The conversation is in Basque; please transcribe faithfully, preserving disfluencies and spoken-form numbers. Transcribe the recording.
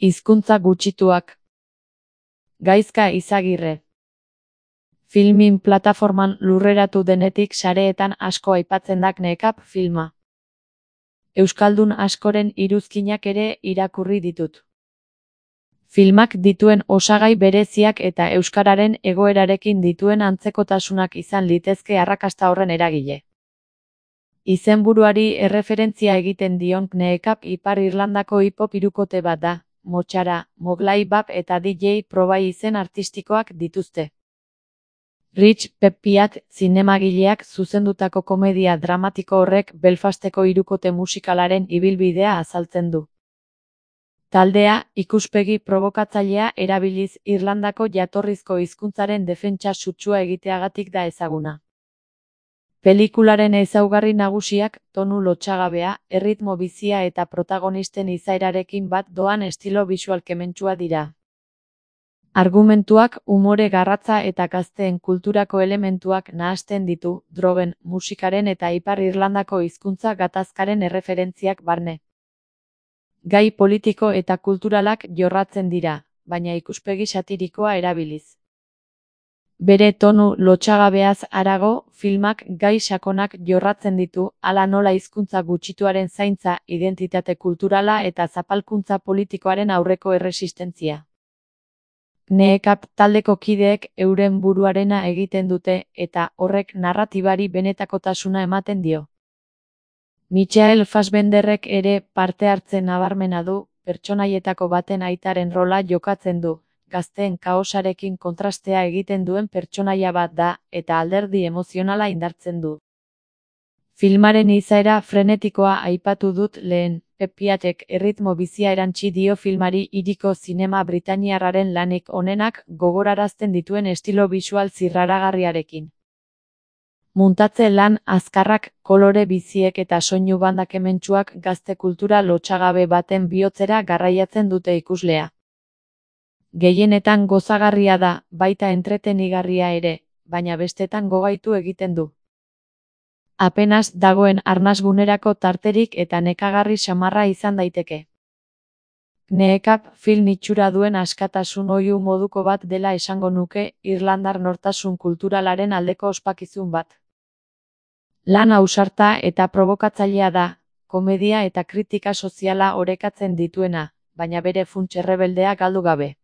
Hizkuntza gutxituak. Gaizka Izagirre. Filmin plataforman lurreratu denetik sareetan asko aipatzen dak Nekap filma. Euskaldun askoren iruzkinak ere irakurri ditut. Filmak dituen osagai bereziak eta euskararen egoerarekin dituen antzekotasunak izan litezke arrakasta horren eragile. Izenburuari erreferentzia egiten dion Nekap Ipar Irlandako hip-hop hirukote bat da. Motxara, Moglai Bap eta D J Probai izen artistikoak dituzte. Rich Peppiat zinemagileak zuzendutako komedia dramatiko horrek Belfasteko hirukote musikalaren ibilbidea azaltzen du. Taldea, ikuspegi provokatzailea erabiliz Irlandako jatorrizko hizkuntzaren defentsa sutsua egiteagatik da ezaguna. Pelikularen ezaugarri nagusiak tonu lotsagabea, erritmo bizia eta protagonisten izaerarekin bat doan estilo bisual kementsua dira. Argumentuak umore garratza eta gazteen kulturako elementuak nahasten ditu, drogen, musikaren eta Ipar Irlandako hizkuntza gatazkaren erreferentziak barne. Gai politiko eta kulturalak jorratzen dira, baina ikuspegi satirikoa erabiliz. Bere tonu lotsagabeaz harago, filmak gai sakonak jorratzen ditu, hala nola hizkuntza gutxituaren zaintza, identitate kulturala eta zapalkuntza politikoaren aurreko erresistentzia. Nekap taldeko kideek euren buruarena egiten dute eta horrek narratibari benetakotasuna ematen dio. Michael Fassbenderrek ere parte hartzen nabarmena du, pertsonaietako baten aitaren rola jokatzen du. Gazteen kaosarekin kontrastea egiten duen pertsonaia bat da, eta alderdi emozionala indartzen du. Filmaren izaera frenetikoa aipatu dut lehen, Peppiatek erritmo bizia erantsi dio filmari hiriko zinema britainiarraren lanik onenak gogorarazten dituen estilo bisual zirraragarriarekin. Muntatze lan azkarrak, kolore biziek eta soinu banda kementsuak gazte kultura lotsagabe baten bihotzera garraiatzen dute ikuslea. Gehienetan gozagarria da, baita entretenigarria ere, baina bestetan gogaitu egiten du. Apenas dagoen arnasgunerako tarterik eta nekagarri samarra izan daiteke. Nekap film itxura duen askatasun oihu moduko bat dela esango nuke, irlandar nortasun kulturalaren aldeko ospakizun bat. Lan ausarta eta provokatzailea da, komedia eta kritika soziala orekatzen dituena, baina bere funts errebeldea galdu gabe.